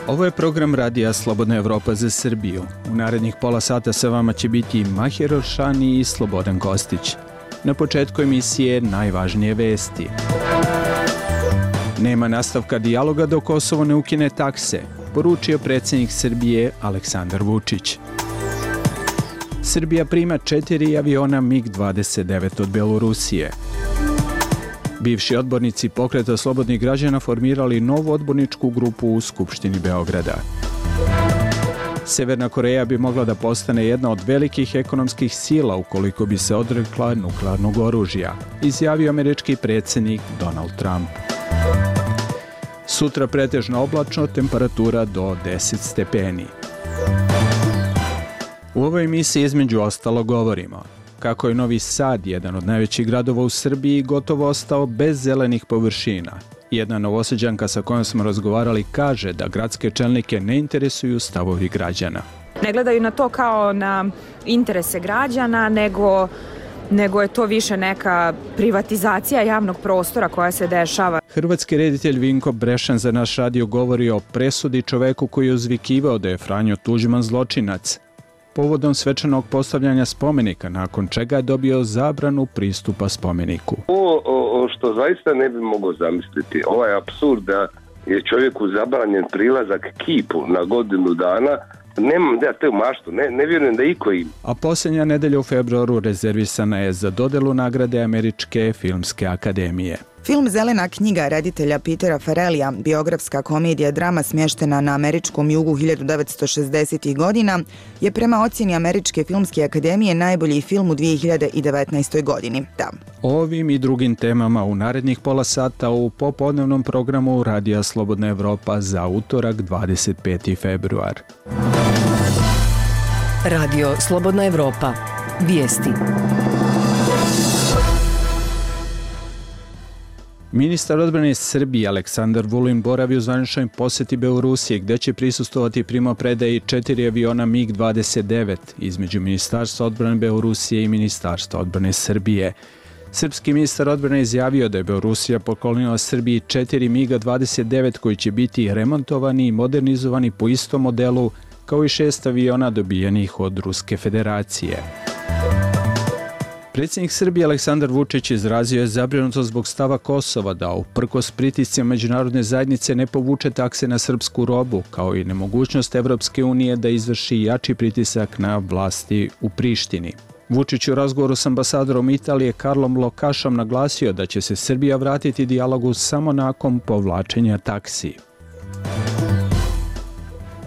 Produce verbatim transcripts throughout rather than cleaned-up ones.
Ovo je program Radija Slobodna Evropa za Srbiju. U narednih pola sata sa vama će biti Mahir Oršani i Slobodan Kostić. Na početku emisije najvažnije vesti. Nema nastavka dijaloga dok Kosovo ne ukine takse, poručio predsjednik Srbije Aleksandar Vučić. Srbija prima četiri aviona mig dvadeset devet od Belorusije. Bivši odbornici Pokreta slobodnih građana formirali novu odborničku grupu u Skupštini Beograda. Severna Koreja bi mogla da postane jedna od velikih ekonomskih sila ukoliko bi se odrekla nuklearnog oružja, izjavio američki predsjednik Donald Trump. Sutra pretežno oblačno, temperatura do deset stepeni. U ovoj emisiji između ostalo govorimo kako je Novi Sad, jedan od najvećih gradova u Srbiji, gotovo ostao bez zelenih površina. Jedna Novosađanka sa kojom smo razgovarali kaže da gradske čelnike ne interesuju stavovi građana. Ne gledaju na to kao na interese građana, nego, nego je to više neka privatizacija javnog prostora koja se dešava. Hrvatski reditelj Vinko Brešan za naš radio govori o presudi čoveku koji je uzvikivao da je Franjo Tuđman zločinac, povodom svečanog postavljanja spomenika, nakon čega je dobio zabranu pristupa spomeniku. Ovo što zaista ne bi mogao zamisliti, ovaj apsurd da je čovjeku zabranjen prilazak kipu na godinu dana, nemam da te maštu, ne, ne vjerujem da iko ima. A posljednja nedelja u februaru rezervisana je za dodelu nagrade Američke filmske akademije. Film Zelena knjiga reditelja Petera Farrellija, biografska komedija drama smještena na američkom jugu hiljadu devetsto šezdesetih godina, je prema ocjeni Američke filmske akademije najbolji film u dvije hiljade devetnaestoj godini. Da. Ovim i drugim temama u narednih pola sata u popodnevnom programu Radija Slobodna Evropa za utorak dvadeset peti februar. Radio Slobodna Evropa. Vijesti. Ministar odbrane Srbije Aleksandar Vulin boravi u zvaničnoj posjeti Belorusije, gdje će prisustvovati primopredaji četiri aviona mig dvadeset devet između Ministarstva odbrane Belorusije i Ministarstva odbrane Srbije. Srpski ministar odbrane izjavio da je Belorusija poklonila Srbiji četiri mig dvadeset devet koji će biti remontovani i modernizovani po istom modelu kao i šest aviona dobijenih od Ruske federacije. Predsjednik Srbije Aleksandar Vučić izrazio je zabrinutost zbog stava Kosova da uprkos pritiscima međunarodne zajednice ne povuče takse na srpsku robu, kao i nemogućnost Evropske unije da izvrši jači pritisak na vlasti u Prištini. Vučić u razgovoru s ambasadorom Italije Karlom Lokašom naglasio da će se Srbija vratiti dijalogu samo nakon povlačenja taksi.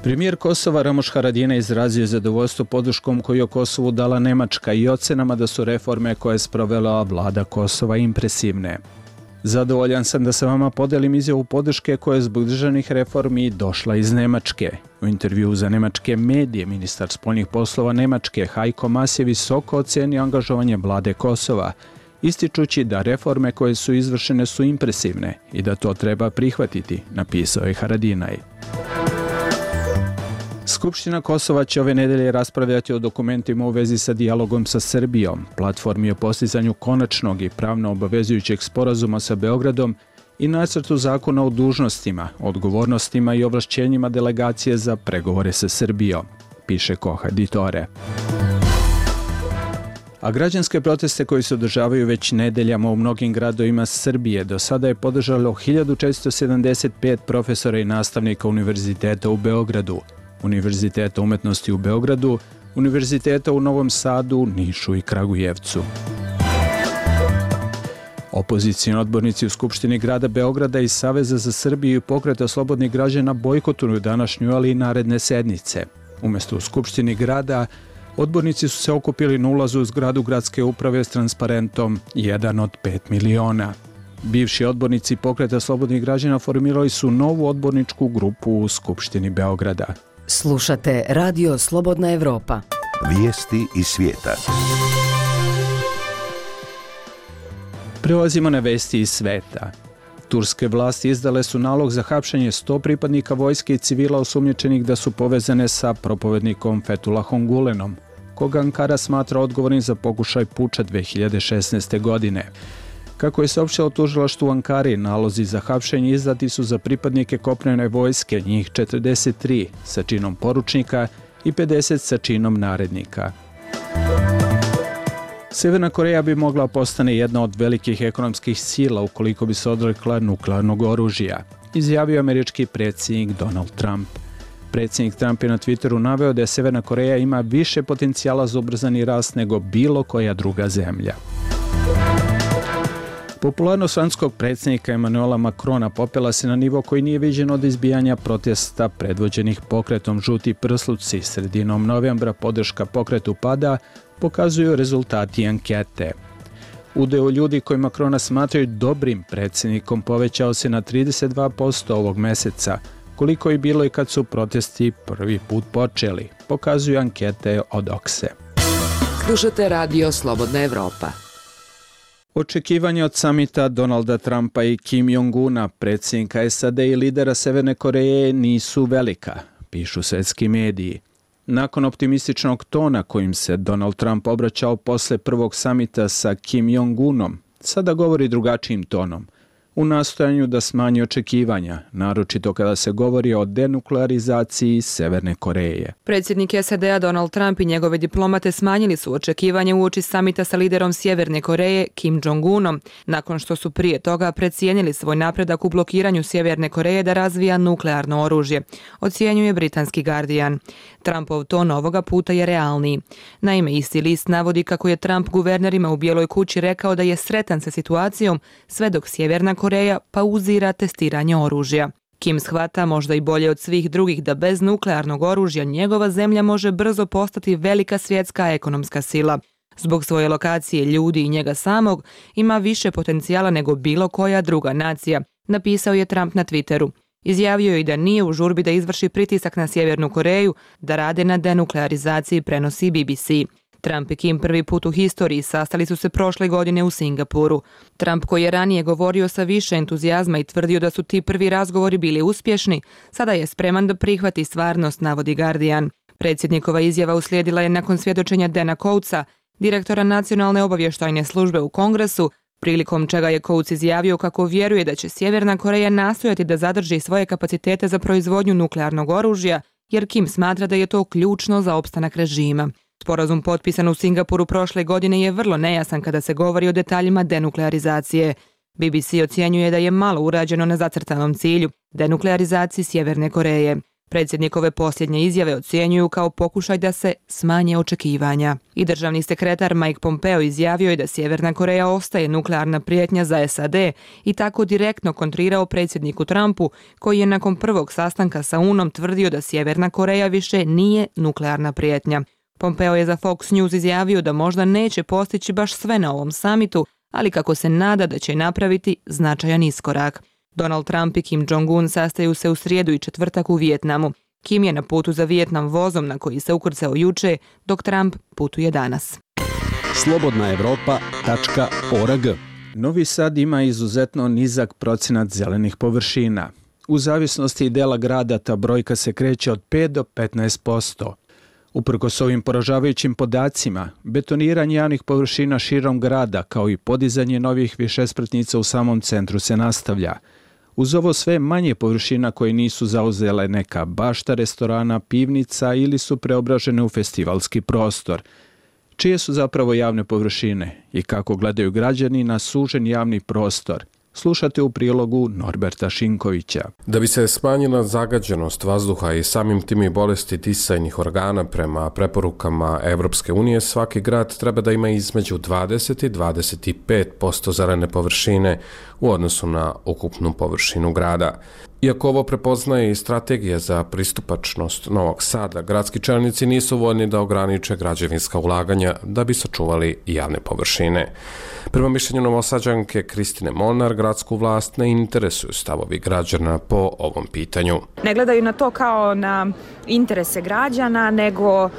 Premijer Kosova Ramuš Haradinaj izrazio zadovoljstvo podrškom koju je Kosovu dala Nemačka i ocenama da su reforme koje je sprovela vlada Kosova impresivne. Zadovoljan sam da sa vama podelim izjavu podrške koja je zbog državnih reformi došla iz Nemačke. U intervjuu za nemačke medije ministar spoljnih poslova Nemačke Heiko Maas je visoko ocenio angažovanje vlade Kosova, ističući da reforme koje su izvršene su impresivne i da to treba prihvatiti, napisao je Haradinaj. Skupština Kosova će ove nedelje raspravljati o dokumentima u vezi sa dijalogom sa Srbijom, platformi o postizanju konačnog i pravno obavezujućeg sporazuma sa Beogradom i nacrtu zakona o dužnostima, odgovornostima i ovlašćenjima delegacije za pregovore sa Srbijom, piše Koha Ditore. A građanske proteste koji se održavaju već nedeljama u mnogim gradovima Srbije do sada je podržalo hiljadu četiristo sedamdeset pet profesora i nastavnika Univerziteta u Beogradu, Univerziteta umetnosti u Beogradu, Univerziteta u Novom Sadu, Nišu i Kragujevcu. Opozicijni odbornici u Skupštini grada Beograda i Saveza za Srbiju i Pokreta slobodnih građana bojkotuju današnju, ali i naredne sednice. Umjesto u Skupštini grada, odbornici su se okupili na ulazu u zgradu gradske uprave s transparentom jedan od pet miliona. Bivši odbornici Pokreta slobodnih građana formirali su novu odborničku grupu u Skupštini Beograda. Slušate Radio Slobodna Evropa. Vijesti iz svijeta. Prelazimo na vesti iz sveta. Turske vlasti izdale su nalog za hapšenje sto pripadnika vojske i civila osumnjičenih da su povezane sa propovednikom Fethullahom Gulenom, koga Ankara smatra odgovornim za pokušaj puča dve hiljade šesnaeste. godine. Kako je saopštilo tužilaštvo u Ankari, nalozi za hapšenje izdati su za pripadnike kopnene vojske, njih četrdeset tri sa činom poručnika i pedeset sa činom narednika. Severna Koreja bi mogla postane jedna od velikih ekonomskih sila ukoliko bi se odrekla nuklearnog oružja, izjavio američki predsjednik Donald Trump. Predsjednik Trump je na Twitteru naveo da je Severna Koreja ima više potencijala za ubrzani rast nego bilo koja druga zemlja. Popularnost francuskog predsjednika Emmanuela Macrona popela se na nivo koji nije viđen od izbijanja protesta predvođenih pokretom Žuti prsluci. Sredinom novembra podrška pokretu pada, pokazuju rezultati ankete. Udeo ljudi koji Macrona smatraju dobrim predsjednikom povećao se na trideset dva posto ovog meseca, koliko je bilo i kad su protesti prvi put počeli, pokazuju ankete od Okse. Slušate radio Slobodna Evropa. Očekivanja od samita Donalda Trumpa i Kim Jong-una, predsjednika S A D i lidera Severne Koreje, nisu velika, pišu svetski mediji. Nakon optimističnog tona kojim se Donald Trump obraćao posle prvog samita sa Kim Jong-unom, sada govori drugačijim tonom, u nastojanju da smanji očekivanja, naročito kada se govori o denuklearizaciji Severne Koreje. Predsjednik S A D-a Donald Trump i njegove diplomate smanjili su očekivanja uoči samita sa liderom Sjeverne Koreje Kim Jong-unom, nakon što su prije toga precijenili svoj napredak u blokiranju Sjeverne Koreje da razvija nuklearno oružje, ocjenjuje britanski Guardian. Trumpov ton ovoga puta je realniji. Naime, isti list navodi kako je Trump guvernerima u Bijeloj kući rekao da je sretan sa situacijom sve dok Sjeverna Koreja pauzira testiranje oružja. Kim shvata možda i bolje od svih drugih da bez nuklearnog oružja njegova zemlja može brzo postati velika svjetska ekonomska sila. Zbog svoje lokacije, ljudi i njega samog ima više potencijala nego bilo koja druga nacija, napisao je Trump na Twitteru. Izjavio je i da nije u žurbi da izvrši pritisak na Sjevernu Koreju da rade na denuklearizaciji, prenosi B B C. Trump i Kim prvi put u historiji sastali su se prošle godine u Singapuru. Trump, koji je ranije govorio sa više entuzijazma i tvrdio da su ti prvi razgovori bili uspješni, sada je spreman da prihvati stvarnost, navodi Guardian. Predsjednikova izjava uslijedila je nakon svjedočenja Dana Coatesa, direktora Nacionalne obavještajne službe u Kongresu, prilikom čega je Coates izjavio kako vjeruje da će Sjeverna Koreja nastojati da zadrži svoje kapacitete za proizvodnju nuklearnog oružja, jer Kim smatra da je to ključno za opstanak režima. Sporazum potpisan u Singapuru prošle godine je vrlo nejasan kada se govori o detaljima denuklearizacije. B B C ocjenjuje da je malo urađeno na zacrtanom cilju, denuklearizaciji Sjeverne Koreje. Predsjednikove posljednje izjave ocjenjuju kao pokušaj da se smanje očekivanja. I državni sekretar Mike Pompeo izjavio je da Sjeverna Koreja ostaje nuklearna prijetnja za S A D i tako direktno kontrirao predsjedniku Trumpu, koji je nakon prvog sastanka sa Unom tvrdio da Sjeverna Koreja više nije nuklearna prijetnja. Pompeo je za Fox News izjavio da možda neće postići baš sve na ovom samitu, ali kako se nada da će napraviti značajan iskorak. Donald Trump i Kim Jong-un sastaju se u srijedu i četvrtak u Vijetnamu. Kim je na putu za Vijetnam vozom na koji se ukrcao juče, dok Trump putuje danas. slobodna evropa tačka org. Novi Sad ima izuzetno nizak procenat zelenih površina. U zavisnosti dela grada ta brojka se kreće od pet do petnaest posto. Uprkos ovim poražavajućim podacima, betoniranje javnih površina širom grada kao i podizanje novih višespratnica u samom centru se nastavlja. Uz ovo sve manje površina koje nisu zauzele neka bašta restorana, pivnica ili su preobražene u festivalski prostor. Čije su zapravo javne površine i kako gledaju građani na sužen javni prostor? Slušate u prilogu Norberta Šinkovića. Da bi se smanjila zagađenost vazduha i samim tim i bolesti disajnih organa prema preporukama Evropske unije, svaki grad treba da ima između dvadeset i dvadeset pet posto zelene površine u odnosu na ukupnu površinu grada. Iako ovo prepoznaje i strategija za pristupačnost Novog Sada, gradski čelnici nisu voljni da ograniče građevinska ulaganja da bi sačuvali javne površine. Prema mišljenju Novosađanke Kristine Molnar, gradsku vlast ne interesuju stavovi građana po ovom pitanju. Ne gledaju na to kao na interese građana, nego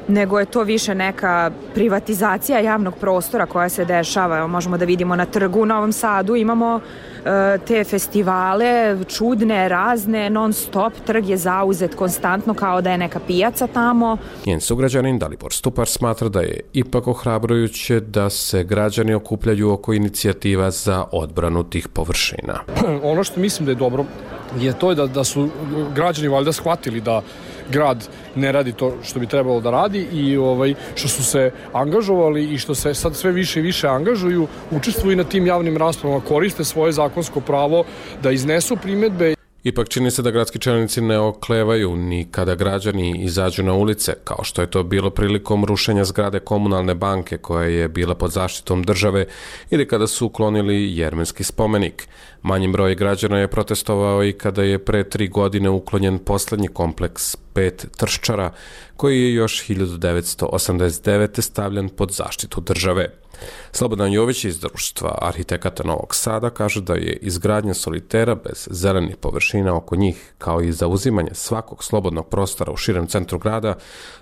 nego je to više neka privatizacija javnog prostora koja se dešava. Evo, možemo da vidimo na trgu u Novom Sadu, imamo e, te festivale, čudne, razne, non stop, trg je zauzet konstantno kao da je neka pijaca tamo. Njen sugrađanin Dalibor Stupar smatra da je ipak ohrabrujuće da se građani okupljaju oko inicijativa za odbranu tih površina. Ono što mislim da je dobro je to da, da su građani valjda shvatili da grad ne radi to što bi trebalo da radi i ovaj, što su se angažovali i što se sad sve više i više angažuju, učestvuju na tim javnim raspravama, koriste svoje zakonsko pravo da iznesu primjedbe. Ipak čini se da gradski čelnici ne oklevaju ni kada građani izađu na ulice, kao što je to bilo prilikom rušenja zgrade Komunalne banke koja je bila pod zaštitom države ili kada su uklonili Jermenski spomenik. Manji broj građana je protestovao i kada je pre tri godine uklonjen poslednji kompleks pet Trščara, koji je još hiljadu devetsto osamdeset devete. stavljen pod zaštitu države. Slobodan Jović iz Društva arhitekata Novog Sada kaže da je izgradnja solitera bez zelenih površina oko njih, kao i zauzimanje svakog slobodnog prostora u širem centru grada,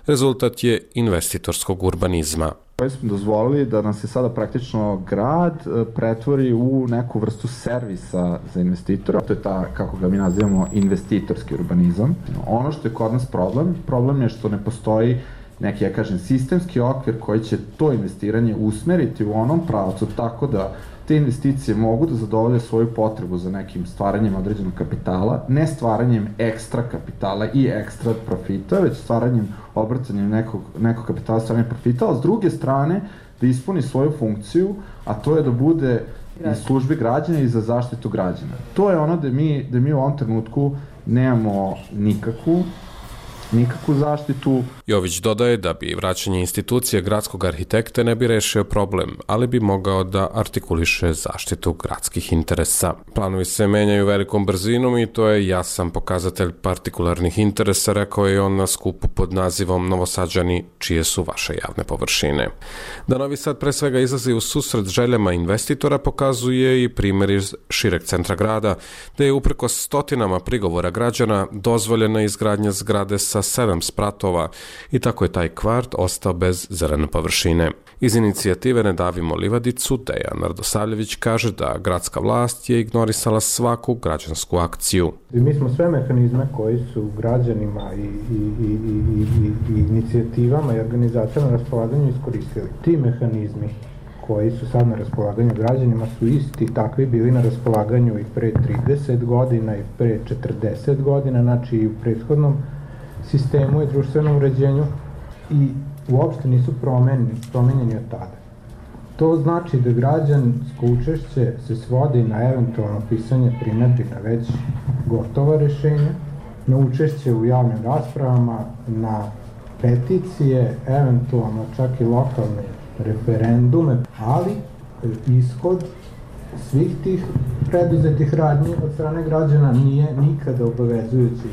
rezultat je investitorskog urbanizma. Koji smo dozvolili da nam se sada praktično grad pretvori u neku vrstu servisa za investitora. To je ta, kako ga mi nazivamo, investitorski urbanizam. Ono što je kod nas problem, problem je što ne postoji neki, ja kažem, sistemski okvir koji će to investiranje usmeriti u onom pravcu tako da te investicije mogu da zadovolje svoju potrebu za nekim stvaranjem određenog kapitala, ne stvaranjem ekstra kapitala i ekstra profita, već stvaranjem, obrcanjem nekog, nekog kapitala, stvaranjem profita, a s druge strane da ispuni svoju funkciju, a to je da bude iz službi građana i za zaštitu građana. To je ono da mi, da mi u ovom trenutku nemamo nikakvu nikakvu zaštitu. Jović dodaje da bi vraćanje institucije gradskog arhitekta ne bi rešio problem, ali bi mogao da artikuliše zaštitu gradskih interesa. Planovi se menjaju velikom brzinom i to je jasan pokazatelj partikularnih interesa, rekao je on na skupu pod nazivom Novosađani, čije su vaše javne površine. Da Novi Sad pre svega izlazi u susret željama investitora pokazuje i primjer iz šireg centra grada, da je upreko stotinama prigovora građana dozvoljena izgradnja zgrade sa sedam spratova i tako je taj kvart ostao bez zelene površine. Iz inicijative Ne davimo livadicu, Dejan Radosavljević kaže da gradska vlast je ignorisala svaku građansku akciju. Mi smo sve mehanizme koji su građanima i, i, i, i, i, i inicijativama i organizacijama na raspolaganju iskoristili. Ti mehanizmi koji su sad na raspolaganju građanima su isti takvi bili na raspolaganju i pre trideset godina i pre četrdeset godina, znači i u prethodnom sistemu i društvenom uređenju i uopšte nisu promenjeni, promenjeni od tada. To znači da građansko učešće se svodi na eventualno pisanje primjedbi na već gotova rešenja, na učešće u javnim raspravama, na peticije, eventualno čak i lokalne referendume, ali ishod svih tih preduzetih radnji od strane građana nije nikada obavezujući.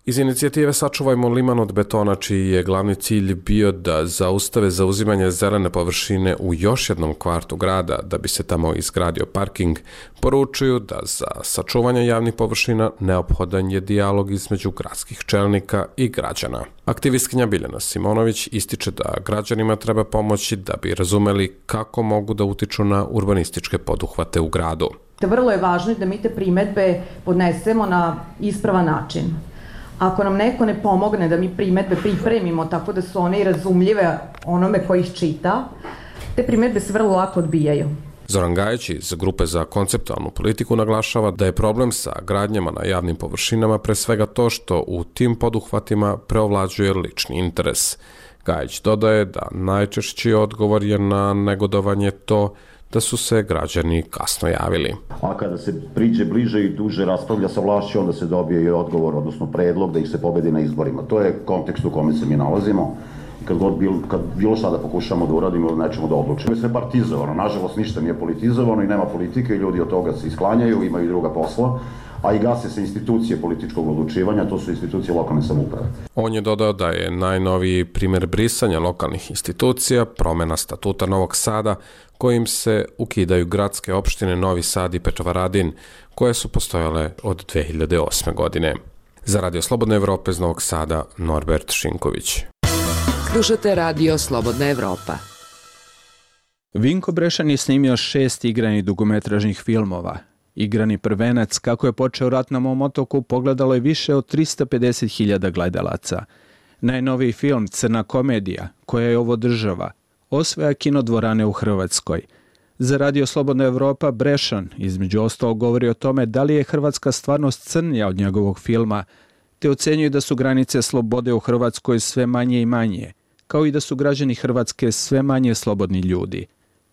Iz inicijative Sačuvajmo Liman od betona, čiji je glavni cilj bio da zaustave zauzimanje zelene površine u još jednom kvartu grada da bi se tamo izgradio parking, poručuju da za sačuvanje javnih površina neophodan je dijalog između gradskih čelnika i građana. Aktivistkinja Biljana Simonović ističe da građanima treba pomoći da bi razumeli kako mogu da utiču na urbanističke poduhvate u gradu. Vrlo je važno da mi te primedbe podnesemo na ispravan način. Ako nam neko ne pomogne da mi primedbe pripremimo tako da su one i razumljive onome koji ih čita, te primedbe se vrlo lako odbijaju. Zoran Gajić iz Grupe za konceptualnu politiku naglašava da je problem sa gradnjama na javnim površinama pre svega to što u tim poduhvatima preovlađuje lični interes. Gajić dodaje da najčešći odgovor je na negodovanje to da su se građani kasno javili. A kada se priđe bliže i duže raspravlja sa vlašću, onda se dobije i odgovor, odnosno predlog da ih se pobedi na izborima. To je kontekst u kome se mi nalazimo. Kad, god bil, kad bilo šta da pokušamo da uradimo ili nećemo da odlučimo. Sve partizovano, nažalost ništa nije politizovano i nema politike i ljudi od toga se isklanjaju, imaju druga posla, a i gase se institucije političkog odlučivanja, to su institucije lokalne samouprave. On je dodao da je najnoviji primjer brisanja lokalnih institucija promena statuta Novog Sada, kojim se ukidaju gradske opštine Novi Sad i Petrovaradin, koje su postojale od dve hiljade osme. godine. Za Radio Slobodne Evrope iz Novog Sada, Norbert Šinković. Slušate radio Slobodna Evropa. Vinko Brešan je snimio šest igranih dugometražnih filmova. Igrani prvenac, kako je počeo rat na mom otoku, pogledalo je više od tristo pedeset hiljada gledalaca. Najnoviji film Crna komedija, koja je ovo država, osvaja kinodvorane u Hrvatskoj. Za radio Slobodna Evropa Brešan između ostalog govori o tome da li je hrvatska stvarnost crnija od njegovog filma, te ocenjuje da su granice slobode u Hrvatskoj sve manje i manje, kao i da su građani Hrvatske sve manje slobodni ljudi.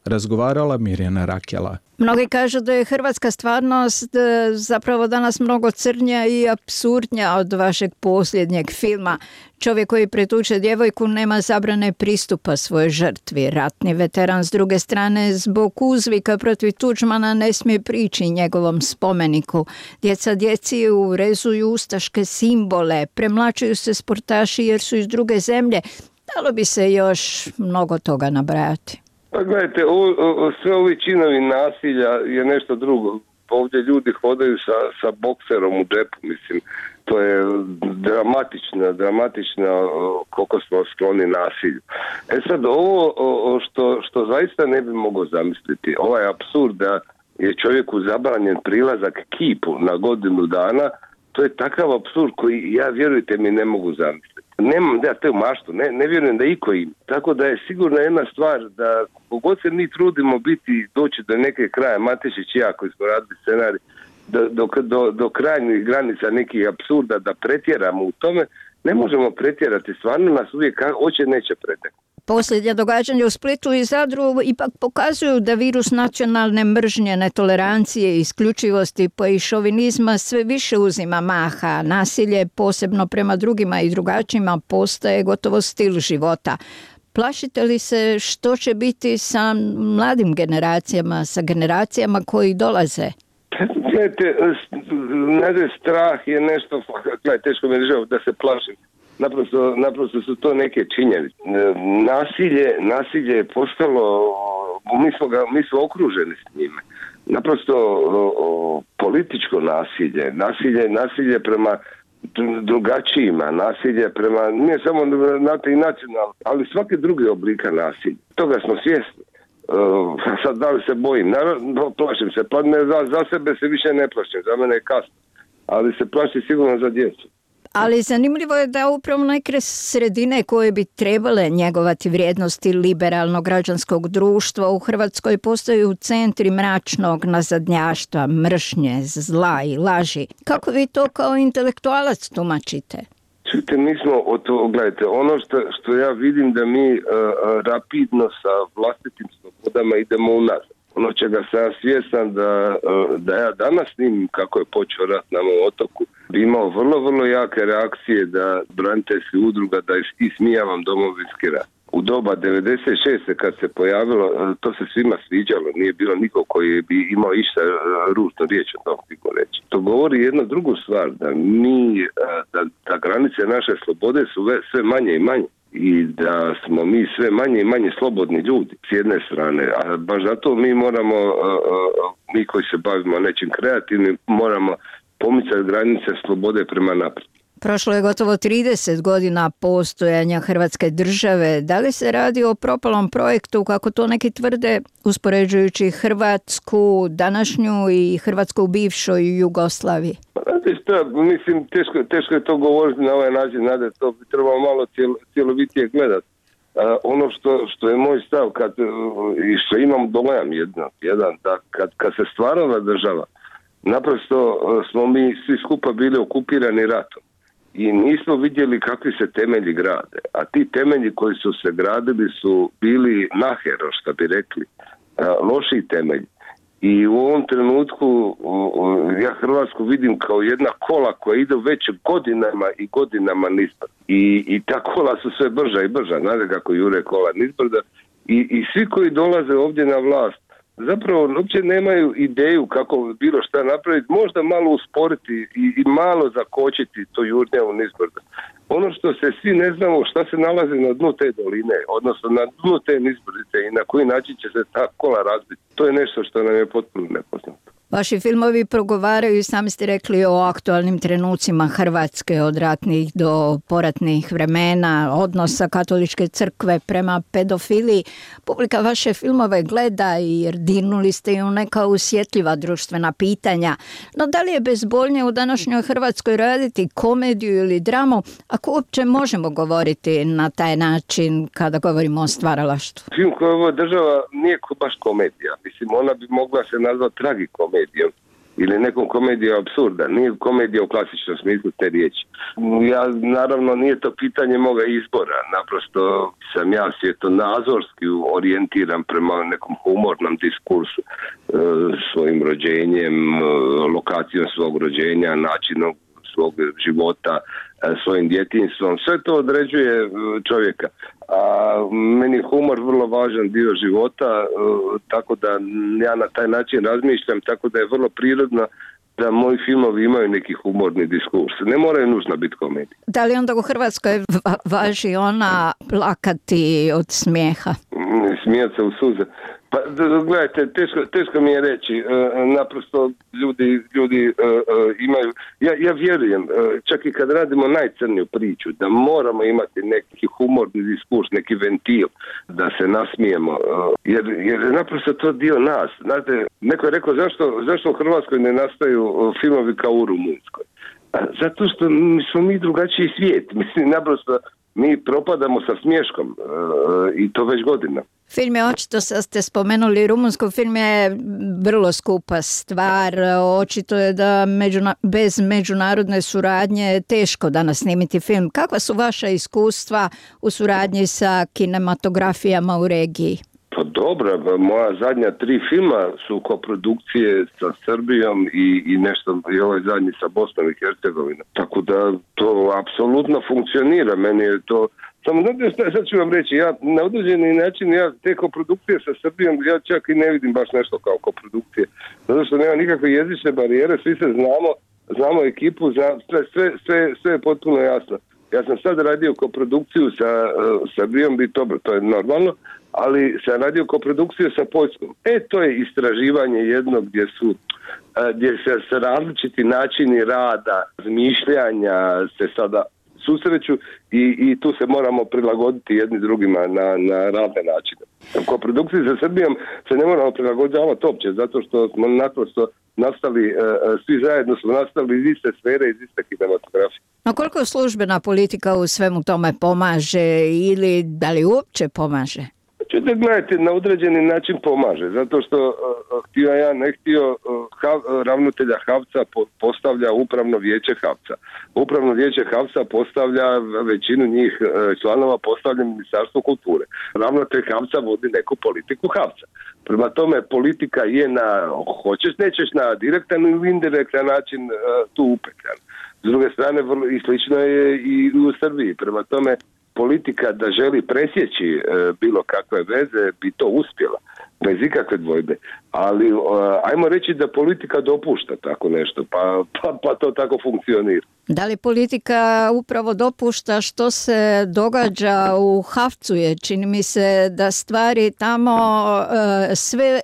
Razgovarala Mirjana Rakela. Mnogi kažu da je hrvatska stvarnost zapravo danas mnogo crnja i apsurdnja od vašeg posljednjeg filma. Čovjek koji pretuče djevojku nema zabrane pristupa svojoj žrtvi. Ratni veteran s druge strane zbog uzvika protiv Tuđmana ne smije prići njegovom spomeniku. Djeca djeci urezuju ustaške simbole, premlačuju se sportaši jer su iz druge zemlje. Dalo bi se još mnogo toga nabrajati. Pa gledajte, ovo, o, sve ovi činovi nasilja je nešto drugo. Ovdje ljudi hodaju sa, sa bokserom u džepu, mislim. To je dramatično, dramatično koliko smo skloni nasilju. E sad, ovo o, što, što zaista ne bi mogao zamisliti, ovaj apsurd da je čovjeku zabranjen prilazak kipu na godinu dana, to je takav apsurd koji ja, vjerujte mi, ne mogu zamisliti. Nemam da te maštu, ne, ne vjerujem da iko im. Tako da je sigurno jedna stvar da kogod se mi trudimo biti, doći do neke kraja, Matešić i ja koji smo radili scenarij, do, do, do, do krajnjih granica nekih apsurda da pretjeramo u tome, ne možemo pretjerati. Stvarno nas uvijek hoće neće pretjerati. Posljednja događanja u Splitu i Zadru ipak pokazuju da virus nacionalne mržnje, netolerancije, isključivosti pa i šovinizma sve više uzima maha. Nasilje, posebno prema drugima i drugačijima, postaje gotovo stil života. Plašite li se što će biti sa mladim generacijama, sa generacijama koji dolaze? Gledajte, strah je nešto, gledajte, teško mi je da se plašim. Naprosto, naprosto su to neke činjenice. Nasilje, nasilje je postalo, mi smo, ga, mi smo okruženi s njime. Naprosto o, o, političko nasilje, nasilje, nasilje prema drugačijima, nasilje prema, nije samo znate, i nacionalno, ali svake druge oblika nasilja. Toga smo svjesni. Uh, sad da li se bojim? Naravno, plašim se. Pa ne, za, za sebe se više ne plašim, za mene je kasno. Ali se plašim sigurno za djecu. Ali zanimljivo je da upravo neke sredine koje bi trebale njegovati vrijednosti liberalnog građanskog društva u Hrvatskoj postaju centri mračnog nazadnjaštva, mržnje, zla i laži. Kako vi to kao intelektualac tumačite? Čujte, mi smo, o to, gledajte, ono što, što ja vidim da mi uh, rapidno sa vlastitim slobodama idemo unazad. Ono čega sam ja svjestan da, da ja danas snimim kako je počeo rat na mom otoku, bi imao vrlo, vrlo jake reakcije da braniteljskih udruga da ismijavam domovinski rat. U doba devedeset šeste kad se pojavilo, to se svima sviđalo, nije bilo niko koji bi imao išta ružno riječ o tom tiku reći. To govori jednu drugu stvar, da mi, da, da granice naše slobode su sve manje i manje. I da smo mi sve manje i manje slobodni ljudi s jedne strane, a baš zato mi moramo, mi koji se bavimo nečim kreativnim, moramo pomicati granice slobode prema naprijed. Prošlo je gotovo trideset godina postojanja Hrvatske države. Da li se radi o propalom projektu, kako to neki tvrde, uspoređujući Hrvatsku današnju i Hrvatsku u bivšoj Jugoslaviji? Šta, mislim, teško, teško je to govoriti na ovaj način, nade, to bi trebalo malo cijel, cjelovitije gledati. Uh, ono što, što je moj stav, kad, uh, i što imam dojam jedan, jedan da kad, kad se stvarala država, naprosto uh, smo mi svi skupa bili okupirani ratom i nismo vidjeli kakvi se temelji grade, a ti temelji koji su se gradili su bili nahero, što bi rekli, uh, loši temelji. I u ovom trenutku ja Hrvatsku vidim kao jedna kola koja ide već godinama i godinama nizbrdo. I, i ta kola su sve brža i brža, znate kako jure kola nizbrdo. I, I svi koji dolaze ovdje na vlast zapravo uopće nemaju ideju kako bilo šta napraviti, možda malo usporiti i, i malo zakočiti to jurnjavu nizbrdo. Ono što se svi ne znamo šta se nalazi na dnu te doline, odnosno na dnu te nizbrdice i na koji način će se ta kola razbiti. To je nešto što nam je potpuno nepoznato. Vaši filmovi progovaraju, sami ste rekli, o aktualnim trenucima Hrvatske od ratnih do poratnih vremena, odnosa katoličke crkve prema pedofiliji. Publika vaše filmove gleda jer dirnuli ste i u neka osjetljiva društvena pitanja. No da li je bezbolnije u današnjoj Hrvatskoj raditi komediju ili dramu, ako uopće možemo govoriti na taj način kada govorimo o stvaralaštvu? Film koji ovo država nije baš komedija. Mislim, ona bi mogla se nazvati tragikomedijom ili nekom komedijom apsurda. Nije komedija u klasičnom smislu te riječi. Ja, naravno, nije to pitanje moga izbora. Naprosto sam ja svjetonazorski orijentiran prema nekom humornom diskursu, e, svojim rođenjem, lokacijom svog rođenja, načinom svog života, svojim djetinjstvom. Sve to određuje čovjeka. A meni je humor vrlo važan dio života, tako da ja na taj način razmišljam, tako da je vrlo prirodno da moji filmovi imaju neki humorni diskurs. Ne moraju nužno biti komedije. Da li onda u Hrvatskoj važi ona plakati od smijeha? Smijat se u suze. Pa gledajte, teško, teško mi je reći, e, naprosto ljudi, ljudi e, e, imaju, ja, ja vjerujem, e, čak i kad radimo najcrniju priču, da moramo imati neki humorni diskurs, neki ventil, da se nasmijemo, e, jer, jer je naprosto to dio nas. Znate, neko je rekao zašto, zašto u Hrvatskoj ne nastaju filmovi kao u Rumunjskoj? A, zato što smo mi drugačiji svijet, mislim, naprosto mi propadamo sa smješkom e, i to već godina. Film je očito, sad ste spomenuli Rumunsku, film je vrlo skupa stvar, očito je da međuna, bez međunarodne suradnje je teško danas snimiti film. Kakva su vaša iskustva u suradnji sa kinematografijama u regiji? Pa dobro, moja zadnja tri filma su koprodukcije sa Srbijom i, i nešto, i ovaj zadnji sa Bosnom i Hercegovinom. Tako da to apsolutno funkcionira, meni je to. Samo znate šta, sad ću vam reći, ja na određeni način, ja te koprodukcije sa Srbijom, ja čak i ne vidim baš nešto kao koprodukcije, zato što nema nikakve jezične barijere, svi se znamo, znamo ekipu, za, sve, sve, sve, sve je potpuno jasno. Ja sam sad radio koprodukciju sa uh, Srbijom, bi dobro, to je normalno, ali sam radio koprodukciju sa Poljskom. E, to je istraživanje jedno gdje su, uh, gdje se sa različiti načini rada, razmišljanja se sada susreću i, i tu se moramo prilagoditi jedni drugima na, na razne načine. Ko produkciji sa Srbijom se ne moramo prilagođavati uopće, zato što smo naprosto nastali, svi zajedno smo nastali iz iste sfere, iz iste kinematografije. No koliko službena politika u svemu tome pomaže ili da li uopće pomaže? Čujte, gledajte, na određeni način pomaže, zato što uh, htio ja, ne htio, uh, hav, ravnatelja Havca po, postavlja upravno vijeće Havca. Upravno vijeće Havca postavlja, većinu njih uh, članova postavlja Ministarstvo kulture. Ravnatelj Havca vodi neku politiku Havca. Prema tome, politika je na, hoćeš, nećeš, na direktan ili indirektan način uh, tu upetljan. S druge strane, vrlo, i slično je i u Srbiji. Prema tome, politika da želi presjeći e, bilo kakve veze bi to uspjela, bez ikakve dvojbe. Ali e, ajmo reći da politika dopušta tako nešto, pa, pa, pa to tako funkcionira. Da li politika upravo dopušta što se događa u Havcu? Je, čini mi se da stvari tamo e, sve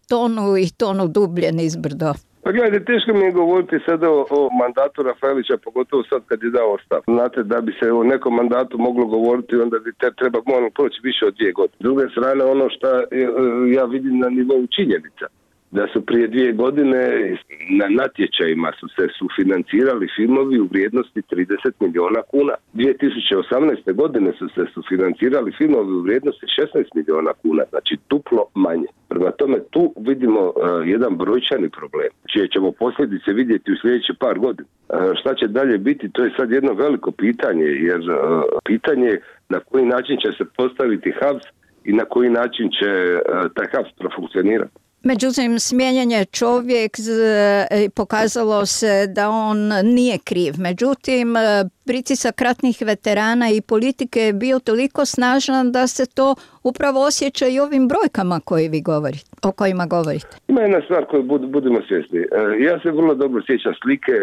tonu i tonu dublje nizbrdo. Pa gledajte, teško mi je govoriti sada o, o mandatu Rafaelića, pogotovo sad kad je dao ostavku. Znate, da bi se o nekom mandatu moglo govoriti, onda bi te treba moramo proći više od dvije godine. S druge strane, ono što ja vidim na nivou činjenica, da su prije dvije godine na natječajima su se sufinancirali filmovi u vrijednosti trideset milijuna kuna. dvije tisuće osamnaeste. godine su se sufinancirali filmovi u vrijednosti šesnaest milijuna kuna, znači duplo manje. Prema tome tu vidimo uh, jedan brojčani problem, čije ćemo posljedice vidjeti u sljedećih par godina. Uh, šta će dalje biti, to je sad jedno veliko pitanje, jer uh, pitanje je na koji način će se postaviti Havs i na koji način će uh, taj Havs profunkcionirati. Međutim, smijenjen je čovjek, pokazalo se da on nije kriv. Međutim, pritisak ratnih veterana i politike je bio toliko snažan da se to upravo osjeća i ovim brojkama koje vi govorite, o kojima govorite. Ima jedna stvar koju bud, budemo svjesni. Ja se vrlo dobro sjećam slike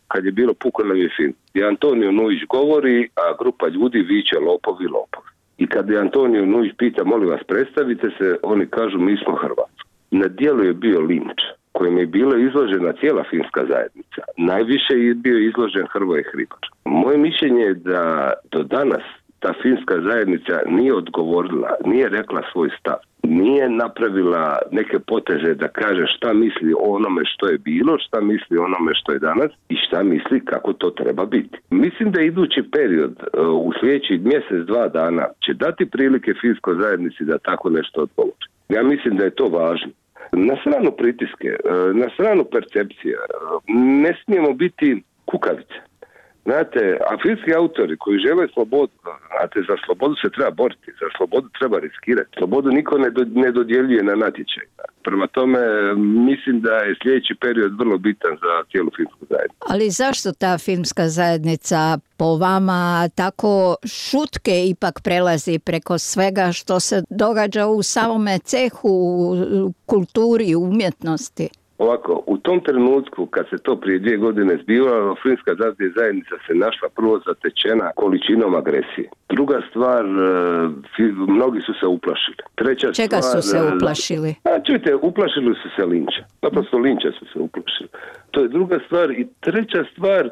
kad je bilo Pukonovi film. I Antonio Nujić govori, a grupa ljudi viče lopovi, lopovi. I kad je Antonio Nujić pita, molim vas, predstavite se, oni kažu mi smo Hrvatska. Na dijelu je bio linč. kojim je bila izložena cijela filmska zajednica. Najviše je bio izložen Hrvoje Hribar. Moje mišljenje je da do danas ta filmska zajednica nije odgovorila, nije rekla svoj stav, nije napravila neke poteze da kaže šta misli o onome što je bilo, šta misli o onome što je danas i šta misli kako to treba biti. Mislim da idući period u sljedećih mjesec, dva dana će dati prilike filmskoj zajednici da tako nešto odgovori. Ja mislim da je to važno. Na stranu pritiske, na stranu percepcije, ne smijemo biti kukavice. Znate, a filmski autori koji žele slobodu, znate, za slobodu se treba boriti, za slobodu treba riskirati. Slobodu niko ne, do, ne dodjeljuje na natječaj. Prema tome, mislim da je sljedeći period vrlo bitan za cijelu filmsku zajednicu. Ali zašto ta filmska zajednica po vama tako šutke ipak prelazi preko svega što se događa u samome cehu, u kulturi, u umjetnosti? Ovako, u tom trenutku kad se to prije dvije godine zbivalo, filmska zajednica se našla prvo zatečena količinom agresije. Druga stvar, mnogi su se uplašili. Treća Čega stvar, su se uplašili? A, čujte, uplašili su se linča. Naprosto linča su se uplašili. To je druga stvar. I treća stvar,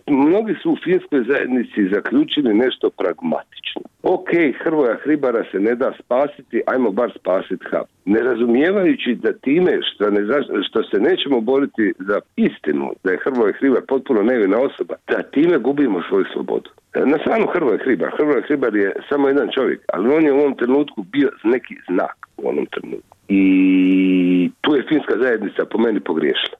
mnogi su u filmskoj zajednici zaključili nešto pragmatično. Ok, Hrvoja Hribara se ne da spasiti, ajmo bar spasiti H A B. Ne razumijevajući da time što, ne, što se nećemo boriti za istinu, da je Hrvoje Hribar potpuno nevina osoba, da time gubimo svoju slobodu. Na stranu Hrvoje Hribar. Hrvoje Hribar je samo jedan čovjek, ali on je u ovom trenutku bio neki znak u onom trenutku. I tu je filmska zajednica po meni pogriješila.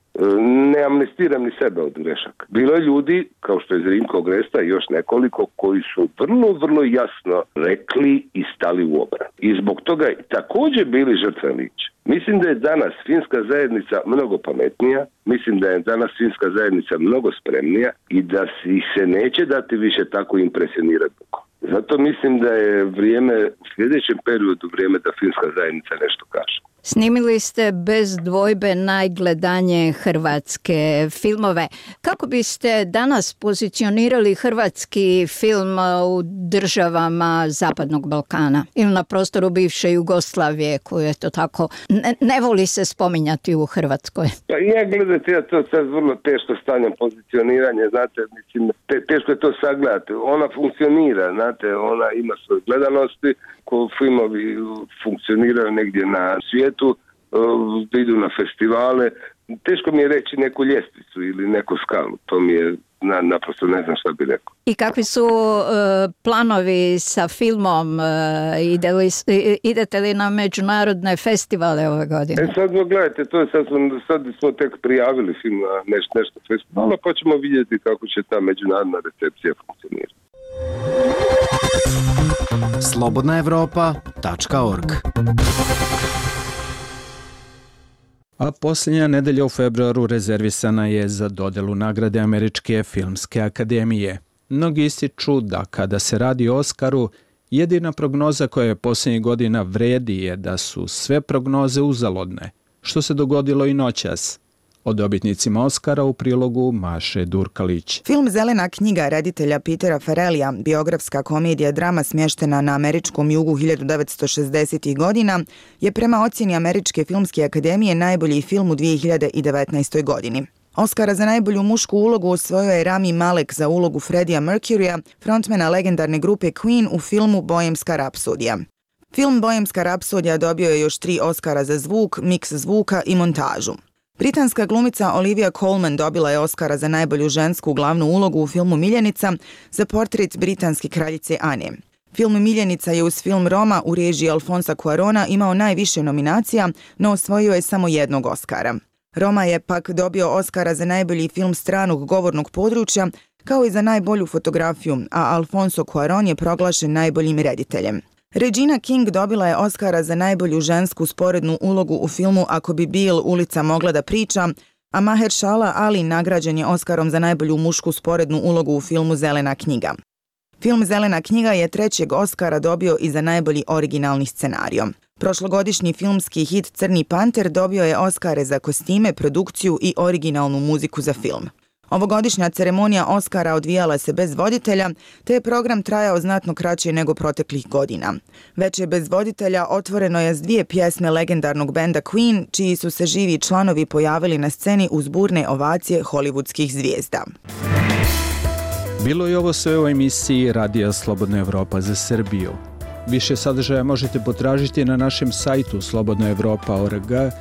Ne amnestiram ni sebe od grešaka. Bilo je ljudi, kao što je Zrinko Gresta i još nekoliko, koji su vrlo, vrlo jasno rekli i stali u obranu. I zbog toga je također bili žrtve linča. Mislim da je danas filmska zajednica mnogo pametnija, mislim da je danas filmska zajednica mnogo spremnija i da ih se neće dati više tako impresionirati. Zato mislim da je vrijeme, u sljedećem periodu vrijeme da filmska zajednica nešto kaže. Snimili ste bez dvojbe najgledanje hrvatske filmove. Kako biste danas pozicionirali hrvatski film u državama Zapadnog Balkana ili na prostoru bivše Jugoslavije, koju je to tako ne, ne voli se spominjati u Hrvatskoj? Pa ja gledajte, ja to sad vrlo teško stavljam pozicioniranje, znate, mislim, te, teško je to sagledati. Ona funkcionira, znate, ona ima svoje gledanosti, ko filmovi funkcioniraju negdje na svijetu, da idu na festivale. Teško mi je reći neku ljestvicu ili neku skalu, to mi je na, naprosto ne znam šta bi rekao. I kakvi su uh, planovi sa filmom? Uh, ide li, idete li na međunarodne festivale ove godine? E sad gledajte, to je sad, sad smo tek prijavili film na neš, nešto festivala, pa ćemo vidjeti kako će ta međunarodna recepcija funkcionirati. slobodna evropa tačka org. A posljednja nedelja u februaru rezervisana je za dodelu nagrade Američke filmske akademije. Mnogi ističu da kada se radi o Oskaru, jedina prognoza koja je posljednjih godina vredi je da su sve prognoze uzaludne, što se dogodilo i noćas. O dobitnicima Oskara u prilogu Maše Durkalić. Film Zelena knjiga reditelja Petera Farrellija, biografska komedija drama smještena na američkom jugu hiljadu devetsto šezdesetih godina, je prema ocjeni Američke filmske akademije najbolji film u dvije hiljade devetnaestoj. godini. Oskara za najbolju mušku ulogu osvojio je Rami Malek za ulogu Freddija Mercurya, frontmana legendarne grupe Queen u filmu Bohemska rapsodija. Film Bohemska rapsodija dobio je još tri Oskara za zvuk, miks zvuka i montažu. Britanska glumica Olivia Colman dobila je Oskara za najbolju žensku glavnu ulogu u filmu Miljenica za portret britanske kraljice Ane. Film Miljenica je uz film Roma u režiji Alfonsa Cuarona imao najviše nominacija, no osvojio je samo jednog Oskara. Roma je pak dobio Oskara za najbolji film stranog govornog područja, kao i za najbolju fotografiju, a Alfonso Cuarón je proglašen najboljim rediteljem. Regina King dobila je Oskara za najbolju žensku sporednu ulogu u filmu Ako bi Bill ulica mogla da priča, a Mahershala Ali nagrađen je Oskarom za najbolju mušku sporednu ulogu u filmu Zelena knjiga. Film Zelena knjiga je trećeg Oskara dobio i za najbolji originalni scenario. Prošlogodišnji filmski hit Crni panter dobio je Oskare za kostime, produkciju i originalnu muziku za film. Ovogodišnja ceremonija Oscara odvijala se bez voditelja, te je program trajao znatno kraće nego proteklih godina. Veče bez voditelja otvoreno je s dvije pjesme legendarnog benda Queen, čiji su se živi članovi pojavili na sceni uz burne ovacije hollywoodskih zvijezda. Bilo je ovo sve u emisiji Radija Slobodna Evropa za Srbiju. Više sadržaja možete potražiti na našem sajtu slobodna evropa tačka org,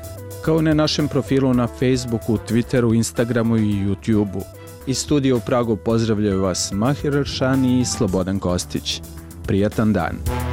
kao i na našem profilu na Facebooku, Twitteru, Instagramu i YouTubeu. Iz studija u Pragu pozdravljaju vas Mahir Aršani i Slobodan Kostić. Prijatan dan!